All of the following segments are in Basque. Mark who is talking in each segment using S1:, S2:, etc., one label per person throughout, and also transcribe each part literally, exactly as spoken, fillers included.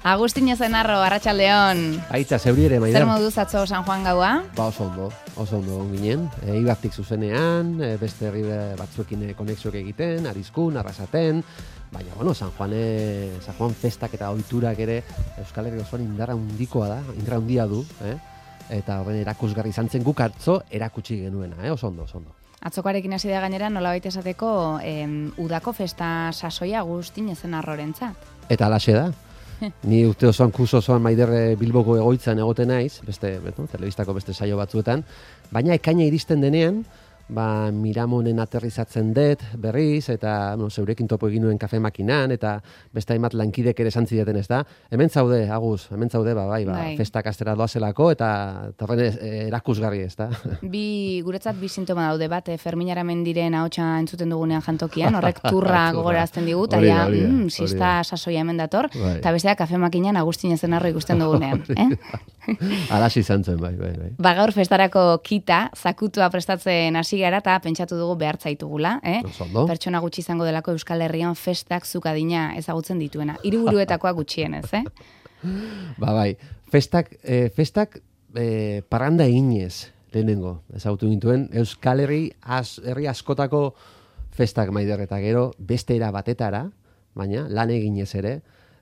S1: Agustin Ezenarro, arratsaldeon.
S2: Aitza, zeuri ere, Maider.
S1: Zer moduz atzo San Juan gaua?
S2: Ba, oso ondo, oso ondo ginen. E, Ibartik zuzenean, e, beste herri batzuekin konexioak egiten, Arizkun, Arrasaten, baina, bueno, San Juan, e, San Juan festak eta ohiturak ere Euskal Herri osoan indarra handikoa da, indarra handia du, eh? Eta horren erakusgarri izan zen guk atzo erakutsi genuena, eh? Oso ondo, oso ondo.
S1: Atzokoarekin hasi da gainera nolabait esateko em, udako festa sasoia Agustin Ezenarrorentzat.
S2: Eta alaxe da. Ni urte osoan, kurso osoan Maider Bilboko egoitzan egoten naiz, beste, beto, telebistako beste saio batzuetan, baina ekaina iristen denean, ba, Miramonen aterrizatzen dut berriz, eta no, zeurekin topo egin nuen kafe makinan, eta beste hainbat lankidek ere esan zidaten, ez da? Hemen zaude, Agus, hemen zaude, ba, bai, ba,
S1: Bai.
S2: festak astera doazelako, eta torren erakusgarri, ez da?
S1: Bi, guretzat bi sintoma daude bat, eh, Fermin Aramendiren ahotsa entzuten dugunean jantokian, horrek turra gogorazten digu, eta
S2: Hori da,
S1: ja,
S2: hori da,
S1: mm,
S2: hori
S1: sista
S2: da.
S1: sasoia hemen dator,
S2: Bai.
S1: eta bestea kafe makinan Agustin Ezenarro ikusten dugunean. eh?
S2: Alasi izan zen, bai, bai, bai.
S1: Ba, gaur festarako kita, zakutua prestatzen hasi gara eta pentsatu dugu behar zaitugula, eh?
S2: Oso ondo.
S1: Pertsona gutxi izango delako Euskal Herrian festak zukadina ezagutzen dituena. Hiriburuetakoa gutxienez, eh?
S2: Ba, bai, festak, eh, festak eh, parranda eginez lehenengo, ezagutu gintuen, Euskal Herri, az, herri askotako festak Maider, eta gero beste era batetara, baina lan eginez ere,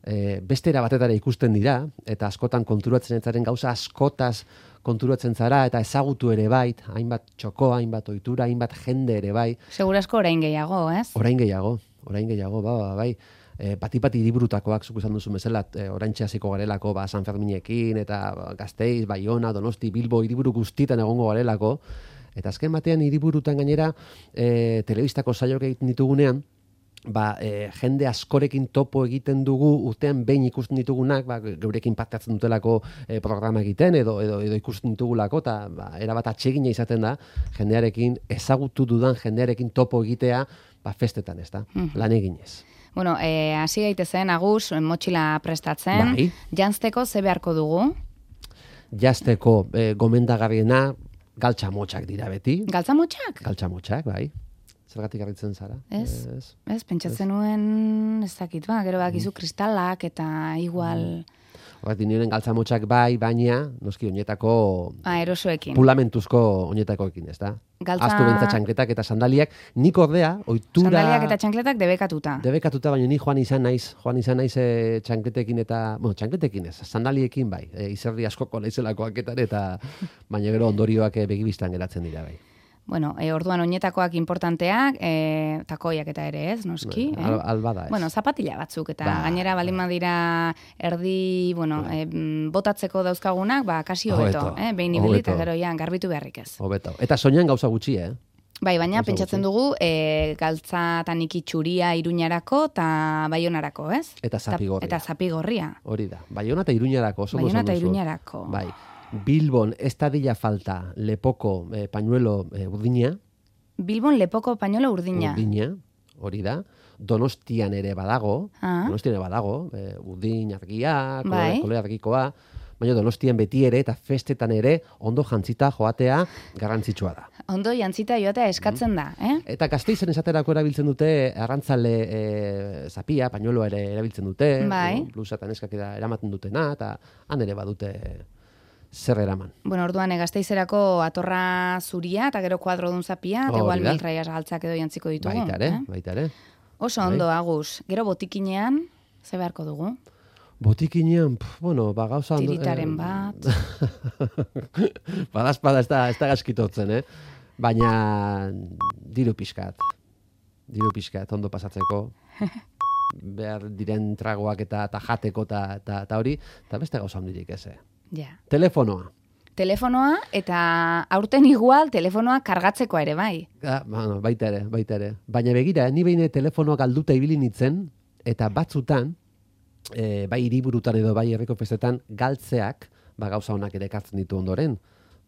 S2: e, beste era batetara ikusten dira, eta askotan konturatzen etzaren gauza askotaz konturatzen zara, eta ezagutu ere bai, hainbat txoko, hainbat ohitura, hainbat jende ere bai.
S1: Segurasko orain gehiago, ez?
S2: Orain gehiago, orain gehiago, ba, ba, bai. E, Pati-pati hiriburutakoak zuk izan duzu bezala, e, oraintxe hasiko garelako, ba, San Ferminekin, eta ba, Gasteiz, Baiona, Donosti, Bilbo, hiriburu guztietan egongo garelako, eta azken batean hiriburutan gainera, e, telebistako saioak egiten ditugunean, ba, e, jende askorekin topo egiten dugu, urtean behin ikusten ditugunak, ba, geurekin parte hartzen dutelako e, programa egiten, edo, edo, edo ikusten ditugulako, eta ba, erabat atsegina izaten da, jendearekin, ezagutu dudan jendearekin topo egitea, ba, festetan, ez da, lan eginez.
S1: Bueno, eh, hasi gaitezen, Agus, motxila prestatzen,
S2: Bai.
S1: janzteko ze beharko dugu?
S2: Jazteko e, gomendagarriena, galtxamotxak dira beti.
S1: Galtzamotxak?
S2: Galtxamotxak, bai. Zergatik harritzen zara?
S1: Ez,
S2: Ez.
S1: ez, pentsatzen nuen, ez dakit, ba, gero bakizu kristalak eta igual
S2: Horretik nioen galtzamotxak bai, baina, noski, oinetako
S1: ah, erosoekin.
S2: pulamentuzko oinetakoekin, ez da?
S1: Galtza-
S2: Aztu bentsa txankletak eta sandaliak, nik ordea, ohitura...
S1: Sandaliak eta txankletak debekatuta.
S2: Debekatuta, baina ni joan izan naiz, joan izan naiz e, txankletekin eta, bueno, txankletekin ez, sandaliekin bai, e, izerdi askoko naizelakoaketan eta, baina gero ondorioak e, begibistan geratzen dira bai.
S1: Bueno, e, orduan oinetakoak importanteak, e, takoiak eta ere ez, noski.
S2: Al,
S1: eh?
S2: albada ez.
S1: Bueno, zapatila batzuk, eta
S2: Ba.
S1: gainera balin badira erdi, bueno, e, botatzeko dauzkagunak, ba, kasi hobeto,
S2: Hobeto,
S1: eh? Behin ibili eta
S2: hobeto.
S1: gero ja, garbitu beharrik ez.
S2: Hobeto. Eta soinean gauza gutxi, eh?
S1: Bai, baina
S2: Gauza
S1: pentsatzen
S2: gutxi.
S1: dugu e, galtza taniki txuria Iruñarako eta Baionarako, ez?
S2: Eta zapigorria.
S1: Eta zapigorria.
S2: Hori da. Baiona eta Iruñarako, oso
S1: Baiona
S2: oso
S1: eta
S2: duzu.
S1: Iruñarako.
S2: Bai. Bilbon ez dadila falta lepoko eh, pañuelo eh, urdina,
S1: Bilbon lepoko pañuelo urdina.
S2: urdina, hori da. Donostian ere badago,
S1: Ah.
S2: Donostian ere badago, eh, urdin argia, kolore,
S1: Bai.
S2: kolore argikoa, baina Donostian beti ere eta festetan ere ondo jantzita joatea garrantzitsua da.
S1: Ondo jantzita joatea eskatzen da, eh?
S2: Eta Gasteizen esaterako erabiltzen dute arrantzale e, zapia, pañueloa ere erabiltzen dute,
S1: Bai.
S2: no? Blusa eta neskak eda eramaten dutena, eta han ere badute zer eraman.
S1: Bueno, orduan e, Gasteizerako atorra zuria eta gero kuadrodun zapia, eta
S2: Hori
S1: igual
S2: da.
S1: mil raias galtzak edo jantziko ditugu.
S2: Baita ere,
S1: eh?
S2: baita ere.
S1: Oso
S2: Bai.
S1: ondo, Agus. Gero botikinean, ze beharko dugu?
S2: Botikinean, pf, bueno, ba gauza... ondo-
S1: Tiritaren
S2: eh,
S1: bat.
S2: Badazpada ez da, ez da gaskitotzen, eh? Baina diru pixkat. Diru pixkat, ondo pasatzeko. Behar diren tragoak eta, eta jateko eta, eta, eta hori, eta beste gauza handirik ez, eh?
S1: Ja.
S2: Telefonoa.
S1: Telefonoa eta aurten igual telefonoa kargatzeko ere bai.
S2: Ah, bueno, baita ere, baita ere. Baina begira, ni behin telefonoa galduta ibili nintzen, eta batzutan, e, bai hiriburutan edo bai herriko festetan, galtzeak, ba gauza honak ere ekartzen ditu ondoren.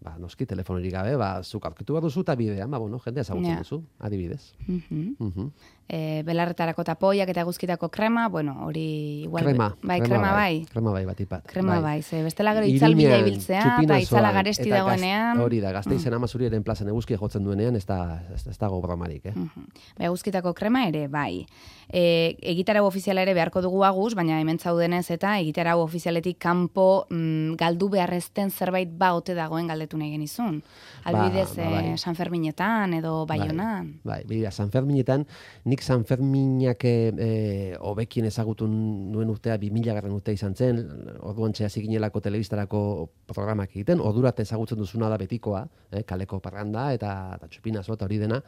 S2: ba, noski, telefonerik gabe, ba, zuk aurkitu bat duzu eta bidean, ba, bueno, jendea ezagutzen
S1: Ja.
S2: duzu, adibidez.
S1: Mhm.
S2: Mhm.
S1: E, belarretarako tapoiak eta guzkitako krema, bueno, hori igual...
S2: Krema.
S1: Bai, krema bai.
S2: Krema bai, batik bat.
S1: Krema bai, ze bestela gero itzal bila
S2: Iruñean,
S1: ibiltzea, eta
S2: Txupinazoan,
S1: itzala garesti
S2: eta gaz-
S1: dagoenean...
S2: Hori da, Gasteizen Amazuriaren plazan eguzkia jotzen duenean, ez da, ez, ez dago bromarik, eh?
S1: Mhm. Bai, guzkitako krema ere, bai. E, egitarau ofiziala ere beharko dugu aguz, baina hemen zaudenez eta egitarau ofizialetik kanpo mm, galdu beharrezten zerbait ba ote dagoen galdetu nahi genizun. Albidez,
S2: ba, bai.
S1: eh, San Ferminetan edo Baionan.
S2: Bai, bai, San Ferminetan, nik San Ferminak eh, hobekien ezagutu nuen urtea bi mila garren urtea izan zen, orduan txea ziginelako telebistarako programak egiten, ordurat ezagutzen duzuna da betikoa, eh, kaleko parranda eta, eta txupinazo eta hori dena,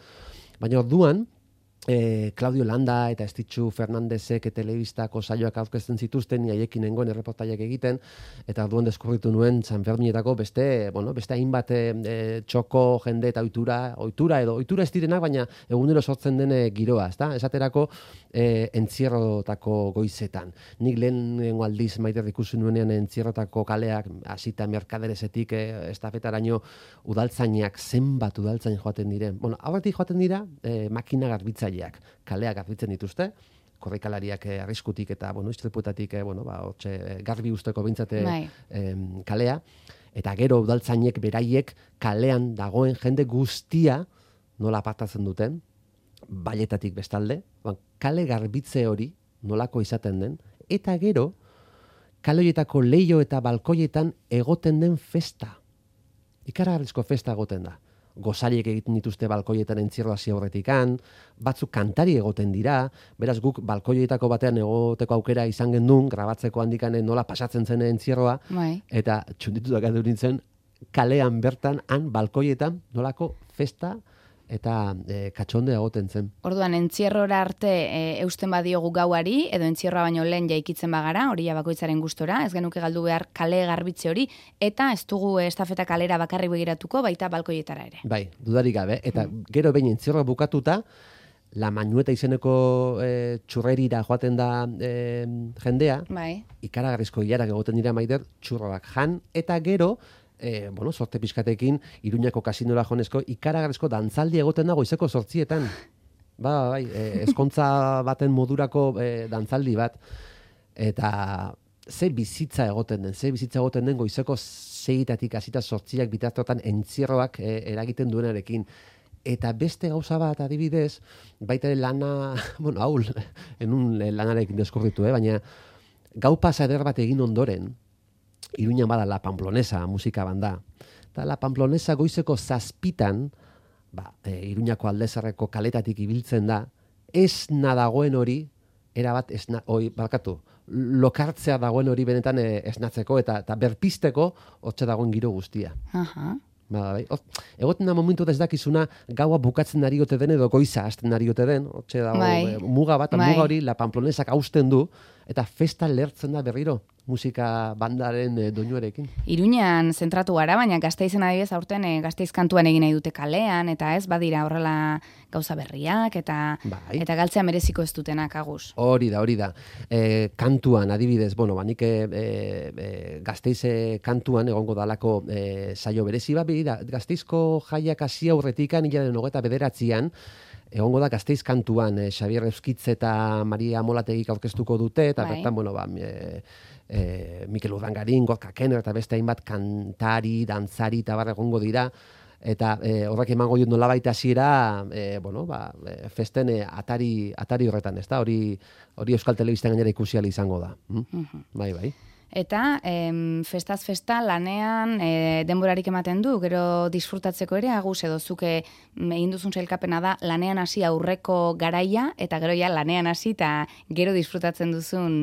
S2: baina orduan, E, Claudio Landa eta Estitxu Fernandezek telebistako saioak aurkezten zituzten, ni haiekin nengoen erreportaiak egiten, eta orduan deskubritu nuen San Ferminetako beste, bueno, beste hainbat e, txoko jende eta ohitura, ohitura edo ohitura ez direnak, baina egunero sortzen den giroa, ezta? Esaterako e, entzierrotako goizetan. Nik lehenengo aldiz Maider ikusi nuenean entzierrotako kaleak hasita merkaderesetik e, estafetaraino udaltzainak zenbat udaltzain joaten diren. Bueno, aurretik joaten dira e, makina garbitza kaleak garbitzen dituzte, korrikalariak eh, arriskutik eta, bueno, istripuetatik, eh, bueno, ba, hortxe, eh, garbi usteko bintzate
S1: Bai.
S2: eh, kalea, eta gero udaltzainek beraiek kalean dagoen jende guztia nola apartatzen duten, baietatik bestalde, ba, kale garbitze hori nolako izaten den, eta gero, kale horietako leio eta balkoietan egoten den festa. Ikaragarrizko festa egoten da. Gozariek egiten dituzte balkoietan entzierro hasi aurretikan, batzuk kantari egoten dira, beraz guk balkoietako batean egoteko aukera izan gendun, grabatzeko handikanen nola pasatzen zen entzierroa,
S1: Bai.
S2: eta txunditutak edu nintzen, kalean bertan, han balkoietan nolako festa eta e, katxonde egoten zen.
S1: Orduan, entzierrora arte e, eusten badiogu gauari, edo entzierroa baino lehen jaikitzen bagara, hori ja bakoitzaren gustora, ez genuke galdu behar kale garbitze hori, eta ez dugu estafeta kalera bakarri begiratuko, baita balkoietara ere.
S2: Bai, dudarik gabe, eta gero behin entzierroa bukatuta, La Mañueta izeneko e, txurrerira joaten da e, jendea,
S1: Bai.
S2: ikaragarrizko hilarak egoten dira Maider, txurroak jan, eta gero, E, bueno, sorte pizkatekin, Iruñako kasinora jonezko, ikaragarrizko dantzaldi egoten dago izeko sortzietan. Ba, bai, e, eskontza baten modurako e, dantzaldi bat. Eta ze bizitza egoten den, ze bizitza egoten den goizeko zeitatik hasita sortziak bitartotan entzierroak e, eragiten duenarekin. Eta beste gauza bat adibidez, baita ere lana, bueno, hau, enun lanarekin deskurritu, eh? Baina gau pasa eder bat egin ondoren, Iruñan bada La Pamplonesa musika banda. Eta La Pamplonesa goizeko zazpitan, ba, e, Iruñako aldezarreko kaletatik ibiltzen da, esna dagoen hori, erabat, esna, oi, barkatu, lokartzea dagoen hori benetan e, esnatzeko eta, eta berpisteko hotxe dagoen giro guztia.
S1: Aha.
S2: Ba, bai. Egoten da momentu ez dakizuna gaua bukatzen ari ote den edo goiza hasten ari ote den, hotxe dago
S1: Bai.
S2: e, muga bat,
S1: Bai.
S2: muga hori La Pamplonesak hausten du, eta festa lertzen da berriro musika bandaren e, doinuarekin.
S1: Iruñan zentratu gara, baina Gasteizen adibidez aurten e, Gasteiz kantuan egin nahi dute kalean, eta ez badira horrela gauza berriak, eta
S2: Bai.
S1: eta galtzea mereziko ez dutenak aguz.
S2: Hori da, hori da. E, kantuan, adibidez, bueno, banik e, e, Gasteize kantuan egongo dalako e, saio berezi bat, da, Gasteizko jaiak hasi aurretikan, hilaren hogeta bederatzian, egongo da Gasteiz kantuan, e, Xabier Euskitz eta Maria Molategik aurkeztuko dute, eta
S1: Bai.
S2: bertan, bueno, ba, e, e, Mikel Urdangarin, Gorka Kenner, eta beste hainbat kantari, dantzari, eta barra egongo dira, eta e, horrek emango dut nolabait hasiera e, bueno, ba, e, festen e, atari, atari horretan, ez da? Hori, hori Euskal Telebistan gainera ikusi ahal izango da. Hm?
S1: Mhm.
S2: Bai, bai.
S1: Eta em, festaz festa lanean e, denborarik ematen du, gero disfrutatzeko ere, aguz edo zuke mm, egin duzun sailkapena da lanean hasi aurreko garaia, eta gero ja lanean hasi eta gero disfrutatzen duzun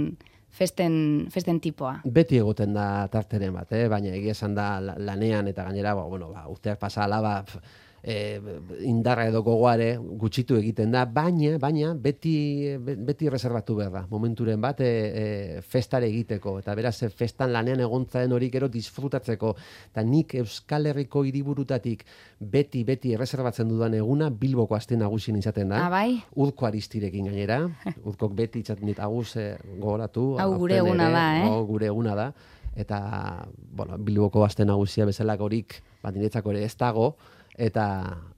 S1: festen, festen tipoa.
S2: Beti egoten da tarteren bat, eh? Baina egia esan da la- lanean eta gainera, ba, bueno, ba, urteak pasa ala, ba, pf, e, indarra edo gogoare gutxitu egiten da, baina, baina beti, be- beti reservatu behar da, momenturen bat e, e, festare egiteko, eta beraz e, festan lanean egontzaren hori gero disfrutatzeko, eta nik Euskal Herriko hiriburutatik beti, beti erreserbatzen dudan eguna Bilboko aste nagusien izaten da.
S1: Ah, bai?
S2: Urko Aristirekin gainera, urkok beti itzaten dit aguz e, gogoratu.
S1: Hau gure
S2: aurten
S1: eguna
S2: ere,
S1: da, eh?
S2: hau gure eguna da. eta, bueno, Bilboko aste nagusia bezalakorik, ba, niretzako ere ez dago, eta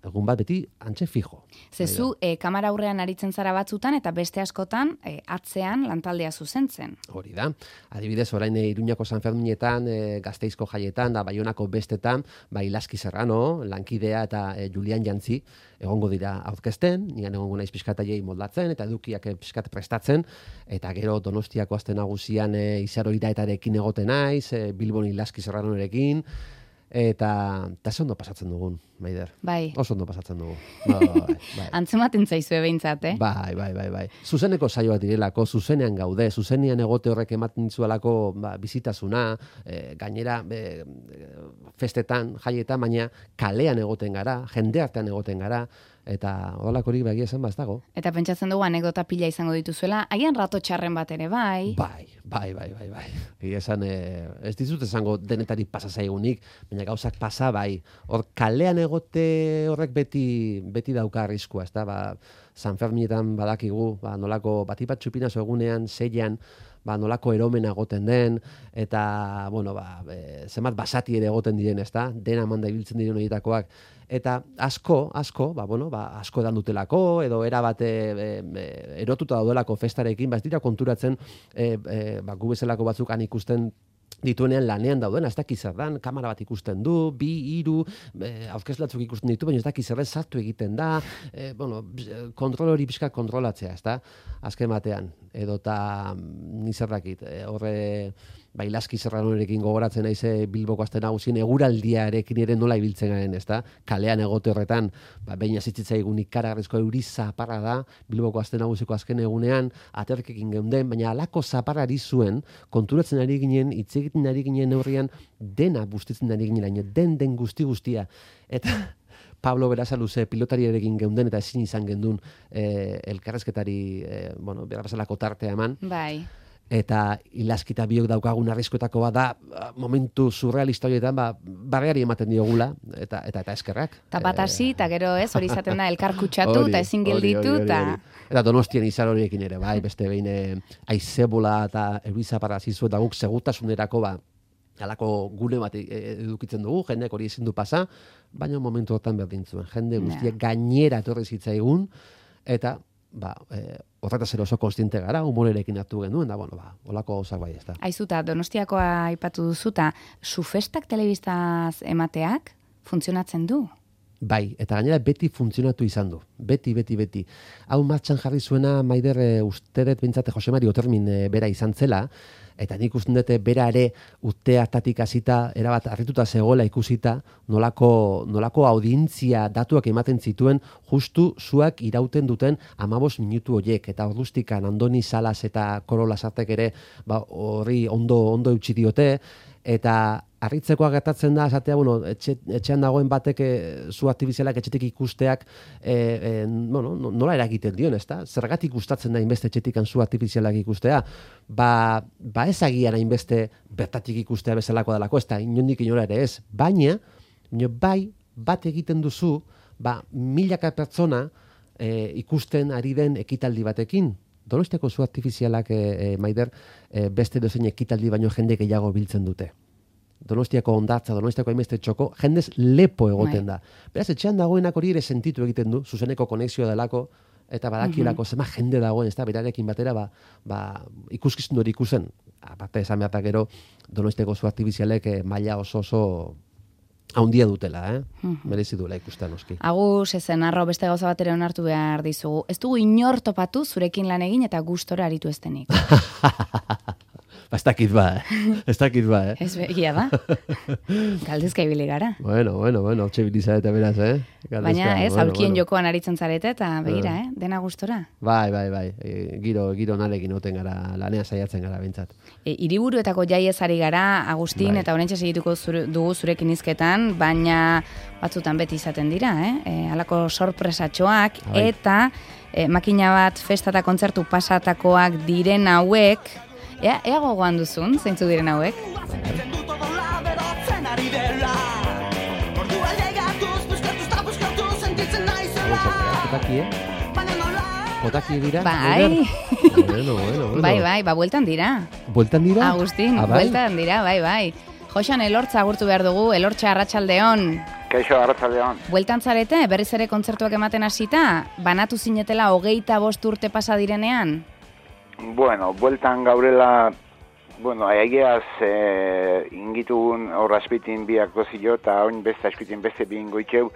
S2: egun bat beti antxe fijo.
S1: Zezu, e, kamara aurrean aritzen zara batzutan, eta beste askotan e, atzean lantaldea zuzentzen.
S2: Hori da. Adibidez, orain e, Iruñako San Ferminetan, e, Gasteizko jaietan, da Baionako bestetan, ba, Ilaski Serrano, lankidea eta e, Julian Jantzi, egongo dira aurkezten, nian egongo naiz pixkataiei moldatzen, eta edukiak e, pixkat prestatzen, eta gero Donostiako aste nagusian e, Izaro Iraetarekin egoten naiz, e, Bilbon Ilaski Serranorekin, eta eta ondo pasatzen dugun, Maider.
S1: Bai.
S2: Oso ondo pasatzen dugu. Bai, bai, bai.
S1: Antzematen zaizue behintzat, eh?
S2: Bai, bai, bai, bai. Zuzeneko saioak direlako, zuzenean gaude, zuzenean egote horrek ematen dizuelako ba, bizitasuna, e, gainera e, festetan, jaietan, baina kalean egoten gara, jende artean egoten gara, eta odalakorik begia esan ba ez dago.
S1: Eta pentsatzen dugu anekdota pila izango dituzuela, haien rato txarren bat ere bai.
S2: Bai, bai, bai, bai, bai. Egia esan, e, ez dizut esango denetari pasa zaigunik, baina gauzak pasa bai. Hor kalean egote horrek beti beti dauka arriskua, ezta? Ba, San Ferminetan badakigu, ba nolako batipat txupinazo egunean, seian, ba nolako eromena egoten den, eta, bueno, ba, e, zenbat basati ere egoten diren, ezta? Dena manda ibiltzen diren horietakoak. Eta asko, asko, ba, bueno, ba, asko edan dutelako, edo era bate e, e, erotuta daudelako festarekin, ba, ez dira konturatzen, e, e, ba, gu bezalako batzuk han ikusten dituenean lanean daudena, ez dakiz zer dan, kamera bat ikusten du, bi, hiru, e, aurkezlatzuk ikusten ditu, baina ez dakiz zer sartu egiten da, e, bueno, kontrol hori pixka kontrolatzea, ez da, azken batean, edo eta nizerrakit, e, horre, ba, Ilaski Serranorekin gogoratzen naize Bilboko aste nagusien eguraldiarekin ere nola ibiltzen garen, ezta? Kalean egote horretan, ba behin hasitzaigun ikaragarrizko euri zaparra da Bilboko aste nagusiko azken egunean aterkekin geunden, baina halako zaparrari zuen konturatzen ari ginen, hitz egiten ari ginen neurrian dena bustitzen ari ginen, den den guzti guztia. Eta Pablo Berasaluze pilotariarekin geunden eta ezin izan gendun eh, elkarrezketari eh, bueno, berrazalako tartea eman.
S1: Bai.
S2: Eta Ilaskita biok daukagun arriskoetako bat da momentu surrealista horietan ba, barreari ematen diogula eta eta eta eskerrak.
S1: Ta bat hasi, eta gero ez, hori izaten da elkar kutsatu eta ezin gelditu. Ta...
S2: Eta Donostian Izar horiekin ere, bai, beste behin aizebola eta eurizaparra zizu eta guk segurtasunerako ba, halako gune bat edukitzen dugu, jendeak hori ezin du pasa, baina momentu hortan berdin zuen. Jende guztiak gainera etorri zitzaigun, eta ba, e, horretaz ere oso konstiente gara, humorerekin hartu genuen, da, bueno, ba, olako gauzak bai ez da.
S1: Aizuta, Donostiakoa aipatu duzuta, sufestak telebistaz emateak funtzionatzen du?
S2: Bai, eta gainera beti funtzionatu izan du. Beti, beti, beti. Hau martxan jarri zuena, Maider, e, uste dut bintzate Jose Mari Otermin e, bera izan zela, eta nik uste dut bera ere urte hartatik hasita erabat harrituta zegoela ikusita, nolako, nolako audientzia datuak ematen zituen justu zuak irauten duten hamabost minutu horiek, eta ordustikan Andoni Salas eta Koro Lasartek ere ba, horri ondo, ondo eutxi diote, eta harritzekoa gertatzen da, esatea, bueno, etxe, etxean dagoen batek e, zu artifizialak etxetik ikusteak e, e, bueno, nola eragiten dion, ezta? Zergatik gustatzen da inbeste etxetikan zu artifizialak ikustea? Ba, ba ez agian hainbeste bertatik ikustea bezalako delako, ez da, inondik inora ere ez. Baina, bai, bat egiten duzu, ba, milaka pertsona e, ikusten ari den ekitaldi batekin. Donostiako zu artifizialak, e, e, Maider, e, beste dozein ekitaldi baino jende gehiago biltzen dute. Donostiako ondartza, Donostiako hainbeste txoko, jendez lepo egoten da. Beraz, etxean dagoenak hori ere sentitu egiten du, zuzeneko konexioa delako, eta badakilako zema jende dagoen, ez da, berarekin batera, ba, ba, ikuskizun hori ikusen. Aparte, esan behar gero, Donostiako zu artifizialek eh, maila oso oso haundia dutela, eh? Merezi duela ikusten noski.
S1: Agus, ezen, arro, beste gauza bat ere onartu behar dizugu. Ez dugu inor topatu zurekin lan egin eta gustora aritu estenik.
S2: Ba, ez dakit ba, eh? Ez dakit ba, eh?
S1: Ez begia da. Galdezka ibili gara.
S2: Bueno, bueno, bueno, hotxe bilizarete beraz, eh? Galdezka,
S1: baina ez,
S2: bueno,
S1: aulkien
S2: bueno.
S1: jokoan aritzen zarete eta begira, eh? Dena gustora.
S2: Bai, bai, bai. E, giro, giro narekin oten gara, lanean saiatzen gara bintzat.
S1: E, hiriburuetako jaiez ari gara, Agustin,
S2: Bai.
S1: eta horrentxe segituko zure, dugu zurekin hizketan, baina batzutan beti izaten dira, eh? E, halako sorpresatxoak,
S2: Bai.
S1: eta e, makina bat festa eta kontzertu pasatakoak diren hauek, ea, ea gogoan duzun, zeintzu diren hauek?
S2: jotaki dira?
S1: Bai.
S2: Bueno, bueno, bueno.
S1: Bai, bai, ba, bueltan dira.
S2: Bueltan dira?
S1: Agustin,
S2: ah, bai?
S1: bueltan dira, bai, bai. Joxan Elortza agurtu behar dugu, Elortza arratsaldeon.
S3: Kaixo, arratsaldeon.
S1: Bueltan zarete, berriz ere kontzertuak ematen hasita, banatu zinetela hogeita bost urte pasa direnean?
S3: Bueno, bueltan gaurela, bueno, egiaz eh, ingitugun horra azpitin bi aktuazio eta oin beste azpitin beste bi ingoitxeu.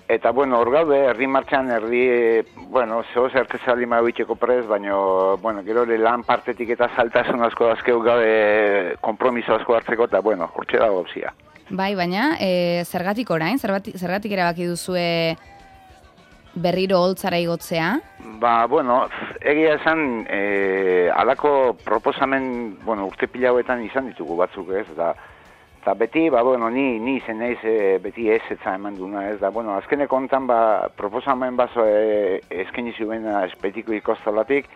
S3: Eta, bueno, hor gaude, herri martxan, herri, bueno, zehoz erkezaldi magoitxeko prez, baina, bueno, gero lan partetik eta saltasun asko azkeu gaude kompromiso asko hartzeko, eta, bueno, hortxe dago gauzia.
S1: Bai, baina, e, zergatik orain, zergatik, zergatik erabaki duzue berriro holtzara igotzea?
S3: Ba, bueno, egia esan, e, alako proposamen, bueno, urte pila hauetan izan ditugu batzuk, ez, eta eta beti, ba, bueno, ni, ni izen naiz e, beti ez etza eman duna, ez da, bueno, azkeneko hontan, ba, proposamen bazo e, eskeni zuen espetiko ikostolatik,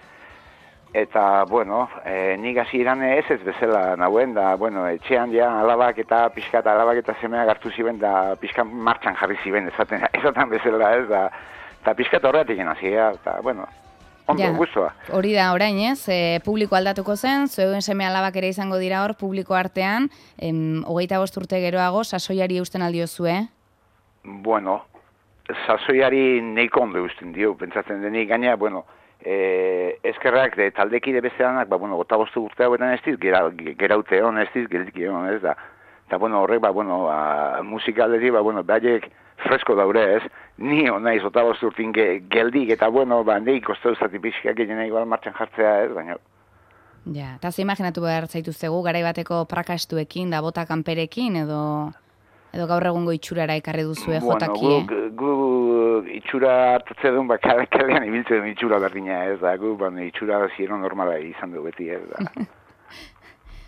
S3: eta, bueno, e, nik hasi iran ez ez bezala nagoen, da, bueno, etxean ja alabak eta pixkat alabak eta semeak hartu ziben, da pixkat martxan jarri ziben, esaten, esaten bezala, ez da, eta pixkat horretik hasi, eta, bueno, ondo,
S1: ja,
S3: guztua.
S1: Hori da, orain ez, e, publiko aldatuko zen, zuen seme alabak ere izango dira hor, publiko artean, em, hogeita bost urte geroago, sasoiari eusten aldiozue?
S3: Bueno, sasoiari neiko ondo eusten dio, pentsatzen denik, gaina, bueno, e, eskerrak de taldekide besteanak, ba, bueno, gota bostu urte hauetan ez diz, gera, geraute hon ez diz, geldik hon ez da. Eta, bueno, horrek, ba, bueno, ba, musikalderi, ba, bueno, behaiek fresko daure ez, ni honaiz gota bostu urtin ge, geldik, eta, bueno, ba, neik kostau zati pixkak egin igual martxan jartzea ez, baina.
S1: Ja, eta ze imaginatu behar zaituztegu, garai bateko prakastuekin, da bota kanperekin, edo... Edo gaur egungo itxurara ekarri duzue jotakie?
S3: Bueno, gu, gu itxura hartatze duen, ba, kalean ibiltzen duen itxura berdina ez, da, gu, ba, itxura ziero normala izan du beti ez, da.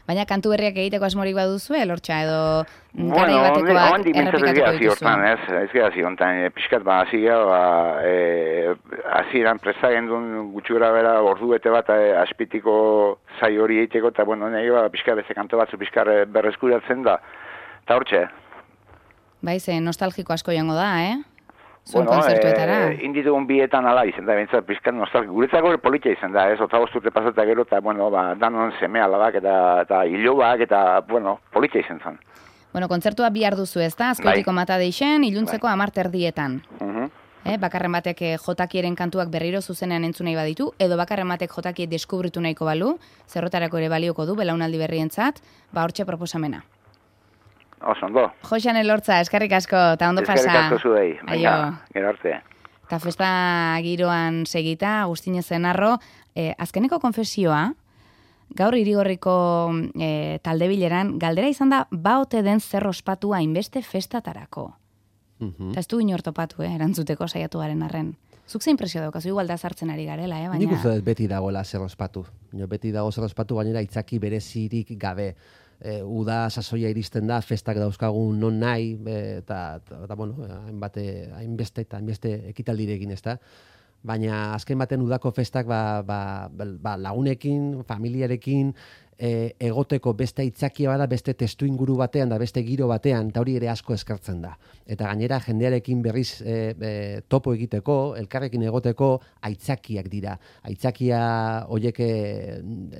S1: Baina kantu berriak egiteko asmorik baduzue, Elortza, edo
S3: bueno,
S1: garai batekoak errepikatuko dituzue?
S3: Ez, ez gara ziontan, e, pixkat, ba, hasi gara, ba, e, hasi eran prestagen duen gutxura bera ordu bete bat e, aspitiko zai hori egiteko, eta, bueno, nahi, ba, pixkat beste kanto batzu pixkat berreskuratzen da, eta hortxe.
S1: Bai, ze nostalgiko asko jango da, eh? Zuen
S3: bueno,
S1: konzertuetara.
S3: E, inditugun bietan ala izan da, bintzat, pixkat nostalgiko. Guretzako politia izan da, ez, otagosturte pasata gero, eta, bueno, ba, danon seme alabak, eta, eta hilobak, eta, bueno, politia izan zen.
S1: Bueno, kontzertua bihar duzu, ez da? Azkoitiko bai. Mata deixen, iluntzeko bai. Amar terdietan. Uh -huh. eh, bakarren batek jotakieren kantuak berriro zuzenean entzun nahi baditu, edo bakarren batek jotakiet deskubritu nahiko balu, zerrotarako ere balioko du, belaunaldi berrientzat, ba hortxe proposamena.
S3: Oso, ondo.
S1: Joxan Elortza, eskerrik asko, eta ondo pasa.
S3: Eskerrik asko zuei, baina, gero arte.
S1: Eta festa giroan segita, Agustin Zenarro, eh, azkeneko konfesioa, gaur irigorriko eh, talde bileran, galdera izan da, baote den zer ospatu hainbeste festatarako. Uh-huh. Eta ez du inor topatu, eh, erantzuteko saiatu garen arren. Zuk ze impresio daukazu, igual da sartzen ari garela, eh, baina...
S2: Nik uste beti dagoela zer ospatu. Beti dago zer ospatu, baina itzaki berezirik gabe. E, uda sasoia iristen da, festak dauzkagun non nahi, eta, eta bueno, hainbate, hainbeste eta hainbeste ekitaldirekin, ez da. Baina azken baten udako festak ba, ba, ba, lagunekin, familiarekin, e, egoteko beste aitzakia bada, beste testu inguru batean, da beste giro batean, eta hori ere asko eskartzen da. Eta gainera jendearekin berriz e, e, topo egiteko, elkarrekin egoteko aitzakiak dira. Aitzakia horiek,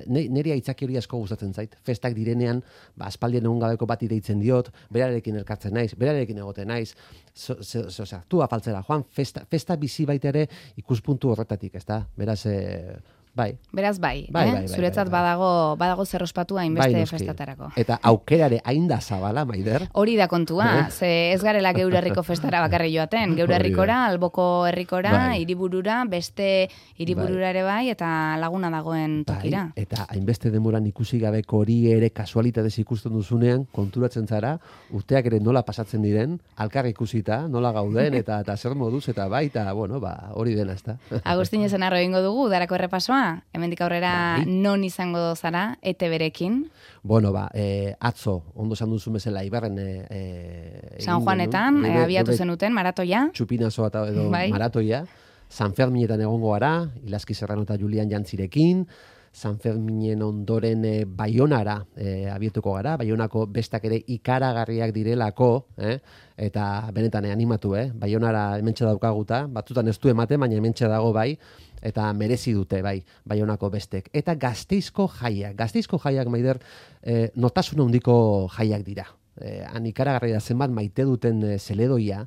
S2: niri aitzaki hori asko gustatzen zait. Festak direnean, ba, aspaldien egun gabeko bat deitzen diot, berarekin elkartzen naiz, berarekin egoten naiz, Osea, tu afaltzera, Juan, festa, festa bizi baita ere ikuspuntu horretatik, ez da? Beraz, e, bai.
S1: Beraz, bai,
S2: bai,
S1: eh?
S2: bai, bai
S1: Zuretzat
S2: bai, bai.
S1: badago, badago zer ospatu hainbeste bai, festatarako.
S2: Eta aukerare hain da zabala, Maider?
S1: Hori da kontua, ze ez garela geure herriko festara bakarri joaten. Geure herrikora, alboko herrikora, bai. Hiriburura, beste hiriburura ere bai, eta laguna dagoen tokira.
S2: Bai, eta hainbeste demoran ikusi gabeko hori ere kasualitatez ikusten duzunean, konturatzen zara, urteak ere nola pasatzen diren, alkar ikusita, nola gauden, eta, eta zer moduz, eta bai, eta bueno, ba, hori dena, ez da.
S1: Agustin Zenarro egingo dugu, darako errepasoa, hemendik aurrera bai. Non izango zara, E T B-rekin?
S2: Bueno, ba, eh, atzo, ondo esan duzu bezala, Ibarren... Eh,
S1: San Juanetan, eh, abiatu zenuten, maratoia.
S2: Txupinazoa eta edo bai. Maratoia. San Ferminetan egongo gara, Ilaski Serrano eta Julian Jantzirekin. San Ferminen ondoren e, Baionara e, abietuko gara, Baionako bestak ere ikaragarriak direlako, eh? Eta benetan animatu, eh? Baionara hementxe daukaguta, batzutan ez du ematen, baina hementxe dago bai, eta merezi dute, bai, Baionako bestek. Eta Gasteizko jaiak. Gasteizko jaiak, Maider, eh, notasun handiko jaiak dira. Eh, han ikaragarri da zenbat maite duten eh, zeledoia,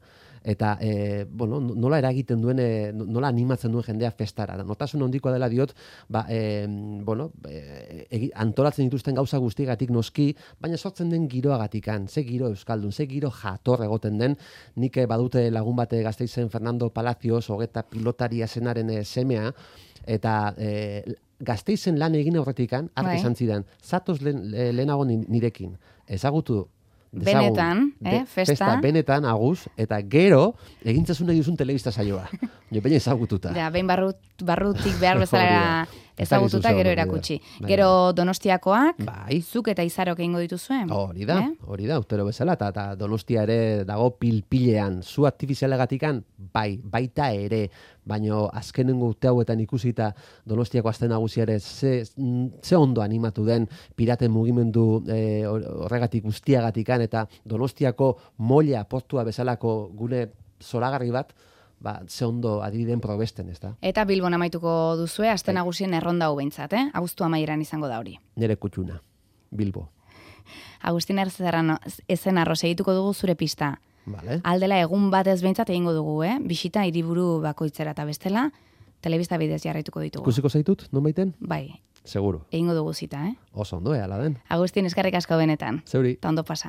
S2: eta e, bueno, nola eragiten duen, e, nola animatzen duen jendea festara. Notasun handikoa dela diot, ba, e, bueno, e, antolatzen dituzten gauza guztigatik noski, baina sortzen den giroagatikan, ze giro euskaldun, ze giro jator egoten den, nik badute lagun bate Gasteizen Fernando Palacios, hogeta pilotaria zenaren e, semea, eta e, Gasteizen lan egin aurretikan, arte izan zidan, zatoz lehen, lehenago nirekin, ezagutu, Dezagun,
S1: benetan, eh, festa.
S2: Festa benetan, aguz, eta gero, egintzazun nahi duzun telebista saioa. Jo, baina ezagututa.
S1: Ja, behin barrut, barrutik behar bezala ezagututa, gero erakutsi. Gero Donostiakoak,
S2: bai.
S1: Zuk eta Izarok egingo dituzuen.
S2: Hori da, eh? hori da, urtero bezala, eta, eta Donostia ere dago pilpilean, zu artifizialegatikan, bai, baita ere, baino azkenengo urte hauetan ikusita Donostiako azten nagusiare ze, ze ondo animatu den piraten mugimendu e, horregatik guztiagatikan, eta Donostiako molla portua bezalako gune zoragarri bat, ba, ze ondo adibideen probesten, ez da?
S1: Eta Bilbon amaituko duzue, azten nagusien erronda hau behintzat, eh? Abuztu amaieran izango da hori.
S2: Nere kutxuna, Bilbo.
S1: Agustin Erzerrano, ezen arroz egituko dugu zure pista.
S2: Vale.
S1: Aldela egun batez behintzat egingo dugu, eh? Bisita hiriburu bakoitzera eta bestela, telebista bidez jarraituko ditugu.
S2: Ikusiko zaitut, non baiten?
S1: Bai.
S2: Seguro.
S1: Egingo dugu zita, eh?
S2: Oso ondo, ala den.
S1: Agustin, eskerrik asko benetan.
S2: Zeuri.
S1: Ta ondo pasa.